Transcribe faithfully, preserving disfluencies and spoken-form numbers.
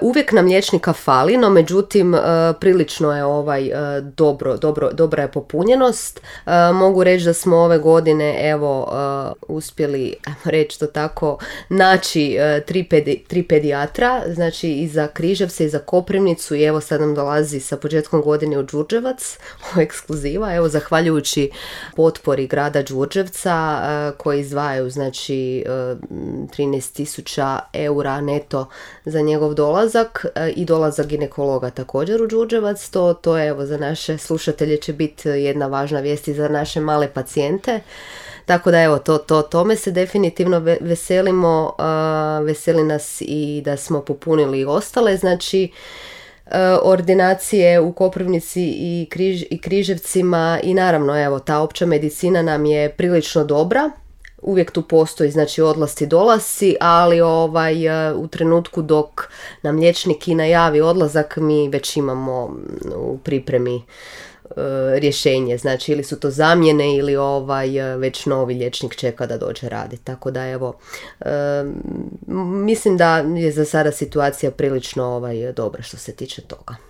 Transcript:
uvijek nam liječnika fali, no međutim uh, prilično je ovaj uh, dobro, dobro, dobra je popunjenost. Uh, mogu reći da smo ove godine evo uh, uspjeli reći to tako naći uh, tri, pedi, tri pedijatra, znači i za Križevce i za Koprivnicu, i evo sad nam dolazi sa početkom godine u Đurđevac, ovo je ekskluziva, evo zahvaljujući potpori grada Đurđevca uh, koji izdvajaju znači uh, trinaest tisuća eura neto za njegov dolazak i dolazak ginekologa također u Đurđevac. To, to je evo za naše slušatelje će biti jedna važna vijest i za naše male pacijente. Tako da evo, to, to, tome se definitivno veselimo, uh, veseli nas i da smo popunili ostale, znači uh, ordinacije u Koprivnici i, Križ, i Križevcima, i naravno evo, ta opća medicina nam je prilično dobra. Uvijek tu postoji znači odlasci dolasci, ali ovaj, u trenutku dok nam liječnik i najavi odlazak, mi već imamo u pripremi e, rješenje, znači ili su to zamjene ili ovaj, već novi liječnik čeka da dođe raditi. Tako da evo, e, mislim da je za sada situacija prilično ovaj, dobra što se tiče toga.